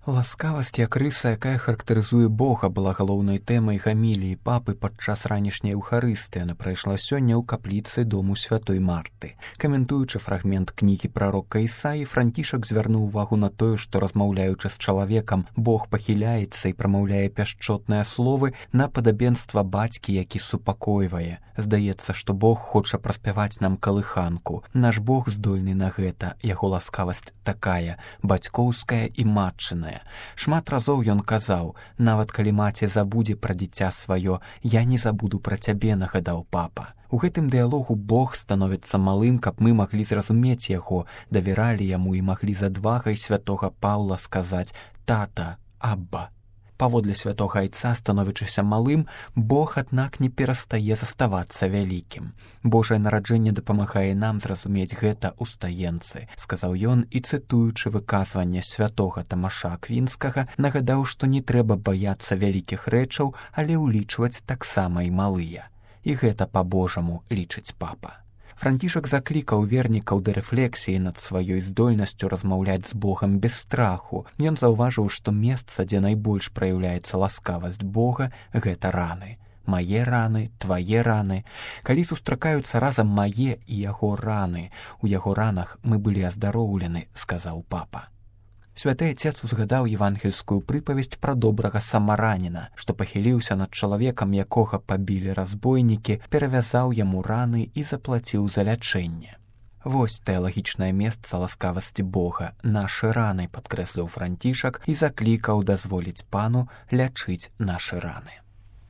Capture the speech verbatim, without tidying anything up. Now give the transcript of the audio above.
Ласкавасць як рыса, якая характарызуе Бога, была галоўнай тэмай гаміліі папы падчас ранішняй эўхарыстыі. Яна прайшла сёння ў капліцы дому святой Марты. Каментуючы фрагмент кнігі прарока Ісаі, Францішак звярнуў увагу на тое, што, размаўляючы з чалавекам, Бог пахіляецца і прамаўляе пяшчотныя словы на падабенства бацькі, які супакойвае. Здаецца, што Бог хоча праспяваць нам калыханку. Наш Бог здольны на гэта, яго ласкавасць такая, бацькоўская і матчыная. Шмат разоў ён казаў: «Нават калі маці забудзе пра дзіця сваё, я не забуду пра цябе», нагадаў папа. У гэтым дыялогу Бог становіцца малым, каб мы маглі зразумець яго, давяралі яму і маглі з адвагай святога Паўла сказаць: «Тата, Абба». Паводле святога айца, становячыся малым, Бог, аднак, не перастае заставацца вялікім. Божае нараджэнне дапамагае нам зразумець гэта ў стаенцы, сказаў ён і, цытуючы выказванне святога Тамаша Аквінскага, нагадаў, што не трэба баяцца вялікіх рэчаў, але ўлічваць таксама і малыя. І гэта па-божаму, лічыць папа. Францішак заклікаў вернікаў да рэфлексіі над сваёй здольнасцю размаўляць з Богам без страху. Ён заўважыў, што месца, дзе найбольш праяўляецца ласкавасць Бога, гэта раны. Мае раны, твае раны. Калі сустракаюцца разам мае і яго раны, у яго ранах мы былі аздароўлены, сказаў папа. Святы Отец узгадаў евангельскую прыпавесць пра добрага самараніна, што пахіліўся над чалавекам, якога пабілі разбойнікі, перавязаў яму раны і заплаціў за лячэнне. Вось тэалагічнае месца ласкавасці Бога, нашы раны, падкрэсліў Францішак і заклікаў дазволіць пану лячыць нашы раны.